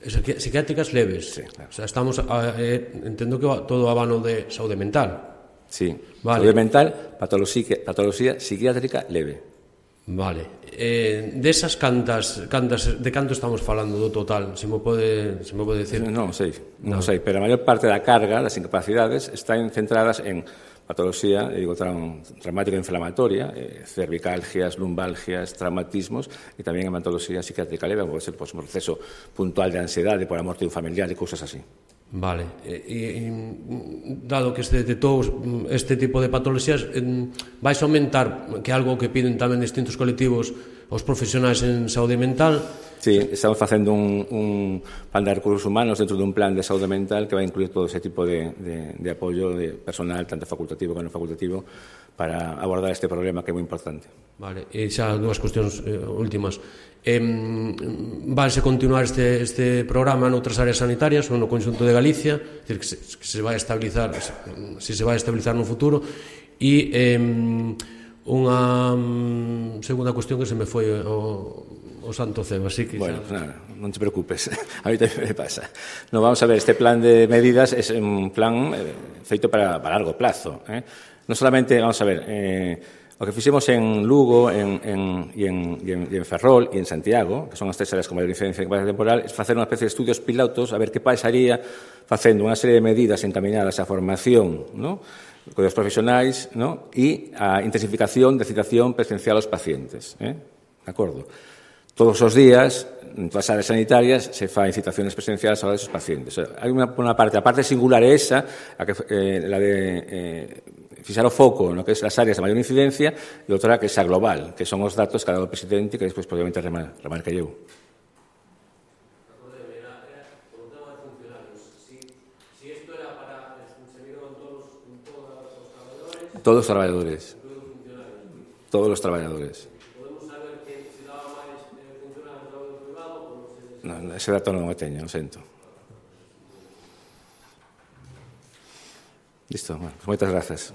S4: Psiquiátricas leves.
S2: Sí, claro.
S4: O sea, estamos, a, eh, entendo que todo o abano de saúde mental.
S2: Sí,
S4: vale.
S2: Saúde mental, patoloxía, patoloxía psiquiátrica leve.
S4: Vale. Eh, desas cantas, cantas, de canto estamos falando do total? Se me pode, se me pode decir?
S2: Non sei, non sei, pero a maior parte da carga das incapacidades están centradas en patoloxía, digo, traumática inflamatoria, eh, cervicalgias, lumbalgias, traumatismos, e tamén en patoloxía psiquiátrica leve, pode ser pues, un proceso puntual de ansiedade por a morte de un familiar e cousas así.
S4: Vale, e, e dado que se detectou este tipo de patoloxías, vais aumentar, que é algo que piden tamén distintos colectivos os profesionais en saúde mental?
S2: Sí, estamos facendo un, un plan de recursos humanos dentro dun plan de saúde mental que vai incluir todo ese tipo de, de, de apoio de personal, tanto facultativo como non facultativo, para abordar este problema que é moi importante.
S4: Vale, e xa dúas cuestións eh, últimas. Eh, Vanse continuar este, este programa noutras áreas sanitarias ou no conxunto de Galicia, decir, que se, que se vai estabilizar, se se vai estabilizar no futuro, e eh, unha segunda cuestión que se me foi o, o santo cebo, así que...
S2: Bueno, xa... nada, non te preocupes, a mí tamén me pasa. No, vamos a ver, este plan de medidas é un plan eh, feito para, para largo plazo, eh? Non solamente, vamos a ver... Eh, o que fixemos en Lugo en, en, e, en, e, en, e en Ferrol e en Santiago, que son as tres áreas con maior incidencia en capacidade temporal, é facer unha especie de estudios pilotos a ver que pasaría facendo unha serie de medidas encaminadas á formación, ¿no?, con os profesionais, ¿no?, e a intensificación de citación presencial aos pacientes. ¿eh? De acordo? Todos os días, en todas as áreas sanitarias, se fan citaciones presenciales a esos pacientes. O sea, hai unha, unha parte, a parte singular é esa, a que, eh, la de... Eh, fixar o foco no que é as áreas de maior incidencia e outra que é a global, que son os datos que ha dado o presidente que despois probablemente remarquei eu. Todos os traballadores. Todos os traballadores.
S4: Podemos saber que se daba máis funcionarios do traballo privado ou se...
S2: Non, ese dato non o teño, o sento. Listo, bueno, pues moitas grazas.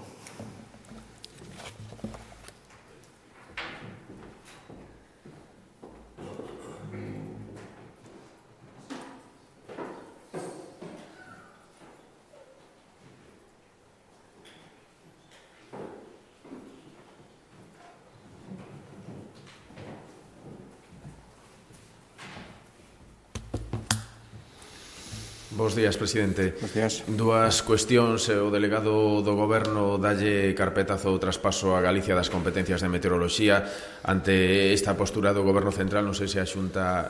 S5: Bos días, presidente.
S1: Bos días.
S5: Dúas cuestións. O delegado do Goberno dalle carpetazo o traspaso a Galicia das competencias de meteoroloxía. Ante esta postura do Goberno Central, non sei se a Xunta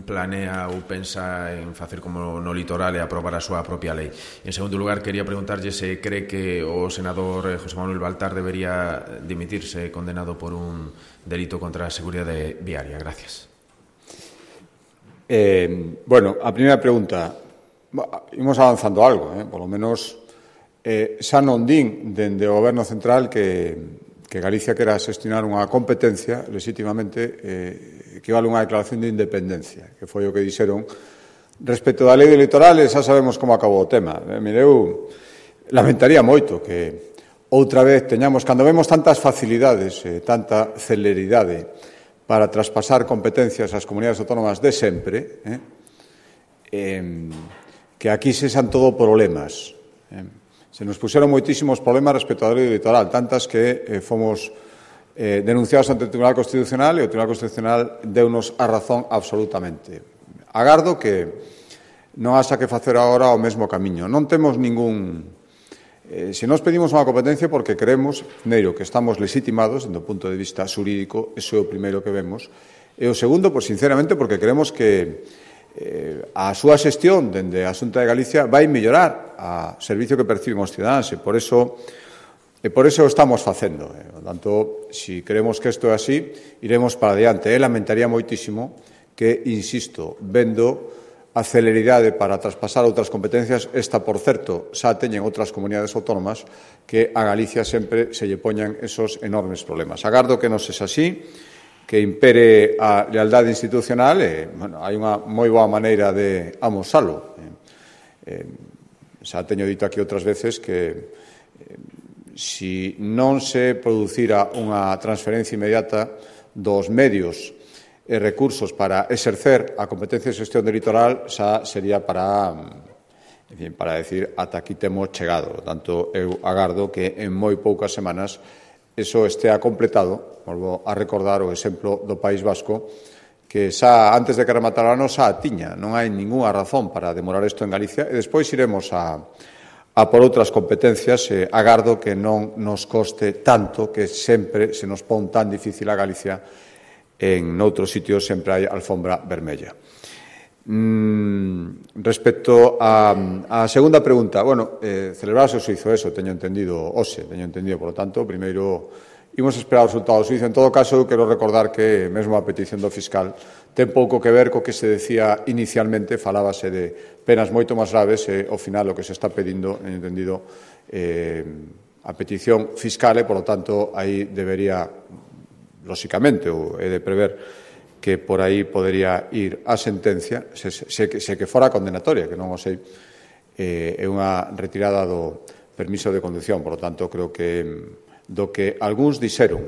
S5: planea ou pensa en facer como no litoral e aprobar a súa propia lei. En segundo lugar, quería preguntarlle se cree que o senador José Manuel Baltar debería dimitirse condenado por un delito contra a seguridade viaria. Gracias.
S1: Eh, bueno, a primeira pregunta... Imos avanzando algo, eh? Por lo menos eh, xa non din dende o Goberno Central que, que Galicia quera xestionar unha competencia legítimamente eh, que vale unha declaración de independencia, que foi o que dixeron respecto da lei do litoral, e xa sabemos como acabou o tema. Eh, mire, eu lamentaría moito que outra vez teñamos, cando vemos tantas facilidades, eh, tanta celeridade para traspasar competencias ás comunidades autónomas de sempre, eh, eh, que aquí se xan todo problemas. Eh, se nos puxeron moitísimos problemas respecto á lei do litoral, tantas que eh, fomos eh, denunciados ante o Tribunal Constitucional e o Tribunal Constitucional deunos a razón absolutamente. Agardo que non haxa que facer agora o mesmo camiño. Non temos ningún... Eh, se nos pedimos unha competencia porque creemos, primeiro, que estamos legitimados do punto de vista xurídico, iso é o primeiro que vemos, e o segundo, pois, sinceramente, porque creemos que Eh, a súa xestión dende a Xunta de Galicia vai mellorar a servicio que perciben os cidadáns, e por eso e por eso o estamos facendo. Eh. Por tanto, se si queremos que isto é así, iremos para adiante. E lamentaría moitísimo que, insisto, vendo a celeridade para traspasar outras competencias, esta, por certo, xa teñen outras comunidades autónomas, que a Galicia sempre se lle poñan esos enormes problemas. Agardo que non sexa así, que impere a lealdade institucional, e, bueno, hai unha moi boa maneira de amosalo. Eh, eh, xa teño dito aquí outras veces que eh, si non se producira unha transferencia inmediata dos medios e recursos para exercer a competencia de xestión do litoral, xa sería para, en fin, para decir ata aquí temos chegado. Por tanto, eu agardo que en moi poucas semanas iso estea completado. Volvo a recordar o exemplo do País Vasco, que xa antes de que rematara o ano xa a tiña. Non hai ningunha razón para demorar isto en Galicia, e despois iremos a, a por outras competencias. E agardo que non nos coste tanto, que sempre se nos pon tan difícil a Galicia. En outros sitios sempre hai alfombra vermella. Mm, respecto a, a segunda pregunta, bueno, eh, celebrarse o suizo, eso, teño entendido, hoxe, teño entendido, por lo tanto, primeiro imos esperar o resultado do suizo. En todo caso, eu quero recordar que mesmo a petición do fiscal ten pouco que ver co que se decía inicialmente, falábase de penas moito máis graves, e ao final o que se está pedindo, teño entendido, eh, a petición fiscal, e, por lo tanto, aí debería, lóxicamente, ou é de prever que por aí podería ir a sentencia, se, se, se que fora condenatoria, que non o sei, eh, é unha retirada do permiso de conducción. Por lo tanto, creo que do que algúns dixeron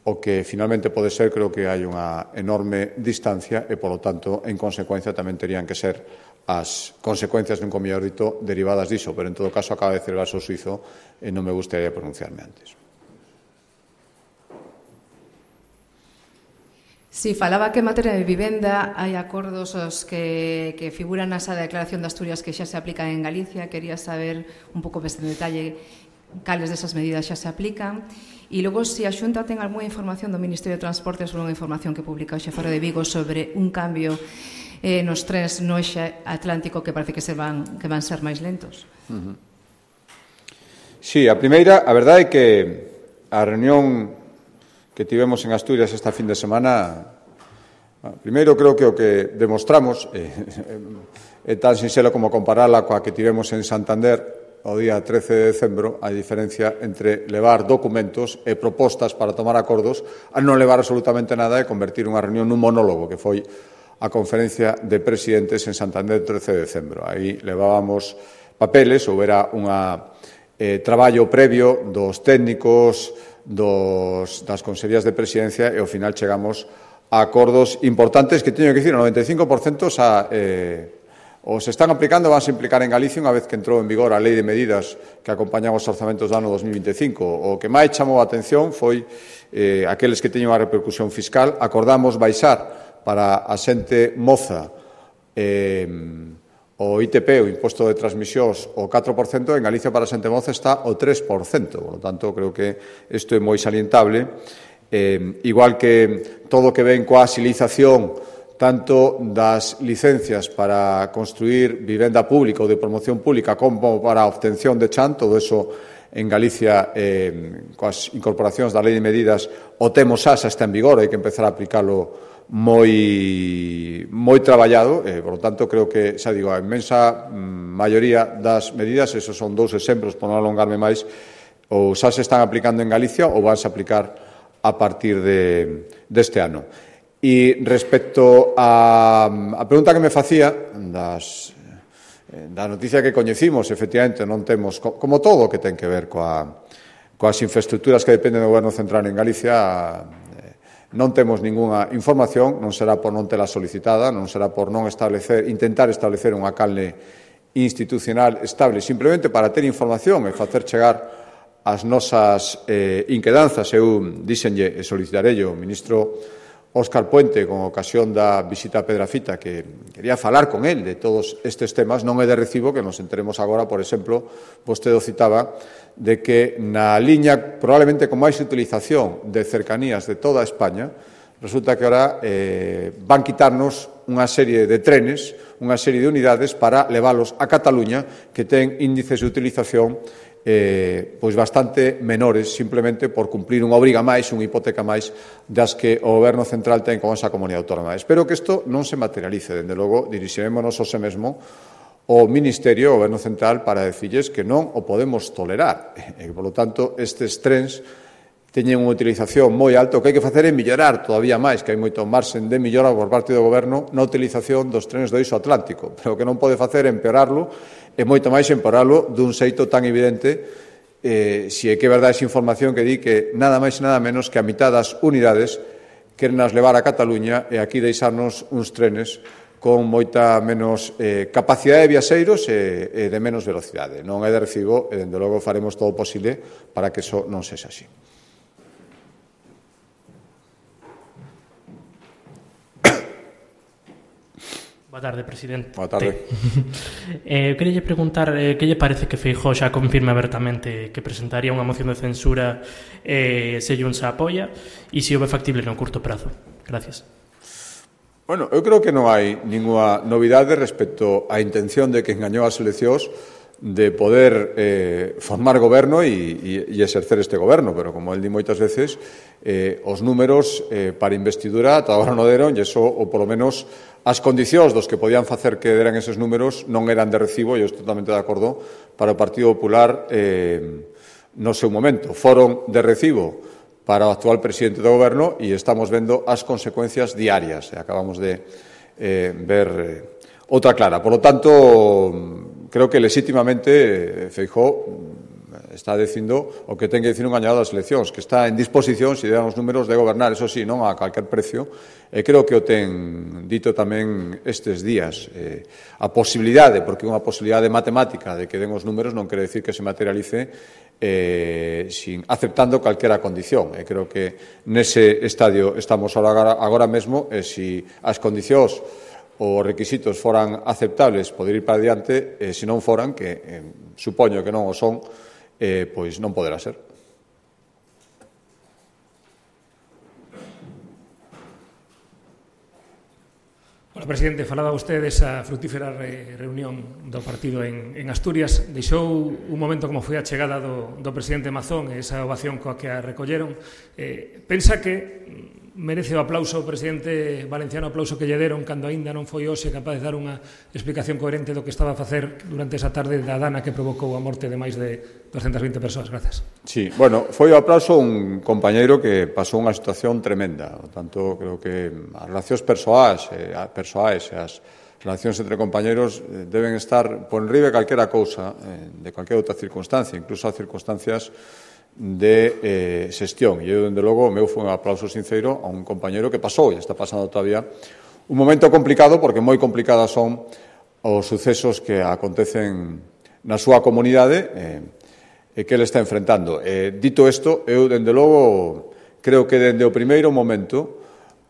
S1: o que finalmente pode ser, creo que hai unha enorme distancia, e, por lo tanto, en consecuencia, tamén terían que ser as consecuencias, nunca mellor dito, derivadas diso. Pero, en todo caso, acaba de celebrarse o suizo e non me gustaría pronunciarme antes.
S6: Si, falaba que en materia de vivenda hai acordos os que, que figuran nesa declaración de Asturias que xa se aplican en Galicia. Quería saber un pouco máis en detalle cales desas medidas xa se aplican. E logo, se a Xunta ten algunha información do Ministerio de Transportes sobre unha información que publica o Xefaro de Vigo sobre un cambio eh, nos trens no eixe atlántico que parece que se van, que van ser máis lentos.
S1: Uh-huh. Sí, a primeira, a verdade é que a reunión que tivemos en Asturias esta fin de semana, primeiro creo que o que demostramos é, é tan sinxelo como comparala coa que tivemos en Santander, o día trece de decembro a diferencia entre levar documentos e propostas para tomar acordos a non levar absolutamente nada e convertir unha reunión nun monólogo que foi a conferencia de presidentes en Santander trece de decembro. Aí levábamos papeles, houbera unha eh, traballo previo dos técnicos dos, das consellerías de presidencia e ao final chegamos a acordos importantes que teño que dicir, o noventa e cinco por cento xa eh, ou se están aplicando ou van a implicar en Galicia unha vez que entrou en vigor a Lei de Medidas que acompañan os orzamentos do ano dos mil vinte e cinco. O que máis chamou a atención foi eh, aqueles que teñen unha repercusión fiscal. Acordamos baixar para a xente moza eh, o I T P, o Imposto de Transmisións, o catro por cento, en Galicia para a xente moza está o tres por cento. Por lo tanto, creo que isto é moi salientable. Eh, igual que todo o que ven coa axilización tanto das licencias para construir vivenda pública ou de promoción pública como para a obtención de chan, todo eso en Galicia, eh, coas incorporacións da Lei de Medidas, o temos xa, xa está en vigor, hai que empezar a aplicarlo moi, moi traballado, e, por lo tanto, creo que, xa digo, a inmensa maioría das medidas, esos son dous exemplos, por non alongarme máis, ou xa se están aplicando en Galicia ou vanse a aplicar a partir de, deste ano. E respecto a, a pregunta que me facía das, da noticia que coñecimos, efectivamente, non temos, como todo o que ten que ver coa, coas infraestructuras que dependen do Goberno Central en Galicia, non temos ningunha información, non será por non tela solicitada, non será por non establecer, intentar establecer unha canle institucional estable, simplemente para ter información e facer chegar as nosas eh, inquedanzas. Eu díxenlle e solicitarei ao ministro Óscar Puente, con ocasión da visita a Pedrafita, que quería falar con el de todos estes temas. Non é de recibo que nos enteremos agora, por exemplo, vostede o citaba, de que na liña probablemente con máis utilización de cercanías de toda España, resulta que ahora eh, van quitarnos unha serie de trenes, unha serie de unidades para leválos a Cataluña, que ten índices de utilización Eh, pois bastante menores, simplemente por cumplir unha obriga máis, unha hipoteca máis das que o Goberno Central ten con esa comunidade autónoma. Espero que isto non se materialice. Dende logo, dirixiremos hoxe mesmo o Ministerio, o Goberno Central, para decirles que non o podemos tolerar. E, por lo tanto, estes trens teñen unha utilización moi alta. O que hai que facer é mellorar todavía máis, que hai moito marxen de mellora por parte do Goberno na utilización dos trenes do eixo atlántico. Pero o que non pode facer é empeorarlo, e moito máis empeorarlo dun xeito tan evidente, eh, se é que é verdade esa información que di que nada máis e nada menos que a mitad das unidades queren as levar a Cataluña e aquí deixarnos uns trenes con moita menos eh, capacidade de viaxeiros e, e de menos velocidade. Non é de recibo e, dende logo, faremos todo o posible para que iso non sexa así.
S3: Boa tarde, presidente.
S1: Boa tarde.
S3: eh, queria preguntar eh, que lle parece que Feijóo xa confirme abertamente que presentaría unha moción de censura eh, se Junts a apoia e se houve factible no curto prazo. Gracias.
S1: Bueno, eu creo que non hai ninguna novidade respecto á intención de que engañou as eleccións de poder eh, formar goberno e, e, e exercer este goberno, pero como el di moitas veces, eh, os números eh, para investidura ata agora non deron, e iso, ou polo menos as condicións dos que podían facer que deran eses números non eran de recibo, e eu estou totalmente de acordo, para o Partido Popular eh, no seu momento. Foron de recibo para o actual presidente do goberno e estamos vendo as consecuencias diarias. E acabamos de eh, ver eh, outra clara. Por lo tanto, creo que legítimamente Feijóo está dicindo o que ten que dicir un gañador das eleccións, que está en disposición, se deran os números, de gobernar, eso sí, non a calquer precio, e creo que o ten dito tamén estes días. Eh, a posibilidade, porque unha posibilidade matemática de que den os números non quere decir que se materialice eh, sin, aceptando calquera condición. E creo que nese estadio estamos agora, agora mesmo, e se as condicións os requisitos foran aceptables poder ir para diante, e se non foran, que eh, supoño que non o son, eh, pois non poderá ser.
S7: Hola, presidente. Falaba vostede desa frutífera re, reunión do partido en, en Asturias. Deixou un momento como foi a chegada do, do presidente Mazón e esa ovación coa que a recolleron. Eh, pensa que merece o aplauso o presidente valenciano, o aplauso que lle deron cando aínda non foi hoxe capaz de dar unha explicación coherente do que estaba a facer durante esa tarde da dana que provocou a morte de máis de doscientas veinte persoas. Grazas.
S1: Sí, bueno, foi o aplauso un compañeiro que pasou unha situación tremenda. Por tanto, creo que as relacións persoais, eh, persoais e as relacións entre compañeros eh, deben estar por enriba de calquera cousa, eh, de calquera outra circunstancia, incluso as circunstancias de eh, xestión. E eu, dende logo, o meu foi un aplauso sincero a un compañero que pasou e está pasando todavía un momento complicado, porque moi complicadas son os sucesos que acontecen na súa comunidade eh, e que ele está enfrentando. Eh, dito isto, eu, dende logo, creo que dende o primeiro momento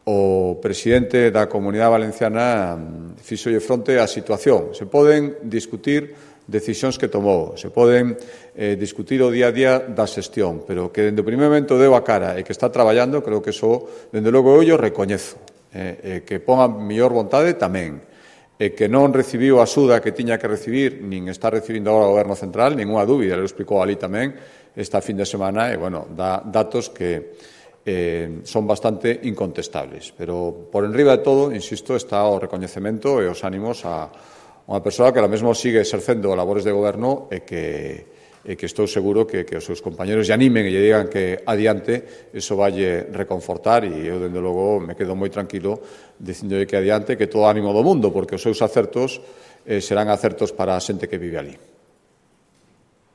S1: o presidente da Comunidade Valenciana fixolle fronte á situación. Se poden discutir decisións que tomou, se poden eh, discutir o día a día da xestión, pero que dende o primeiro momento deu a cara e que está traballando, creo que iso, dende logo, eu o recoñezo. Eh, eh, que pon a mellor vontade tamén. E que non recibiu a axuda que tiña que recibir, nin está recibindo agora o Goberno Central, ninguna dúbida, ele explicou ali tamén esta fin de semana, e, bueno, dá datos que eh, son bastante incontestables. Pero, por enriba de todo, insisto, está o recoñecemento e os ánimos a unha persoa que ahora mesmo sigue exercendo labores de goberno e que, e que estou seguro que, que os seus compañeros lle animen e lle digan que adiante eso valle reconfortar, e eu, dende logo, me quedo moi tranquilo dicindo que adiante, que todo ánimo do mundo, porque os seus acertos eh, serán acertos para a xente que vive ali.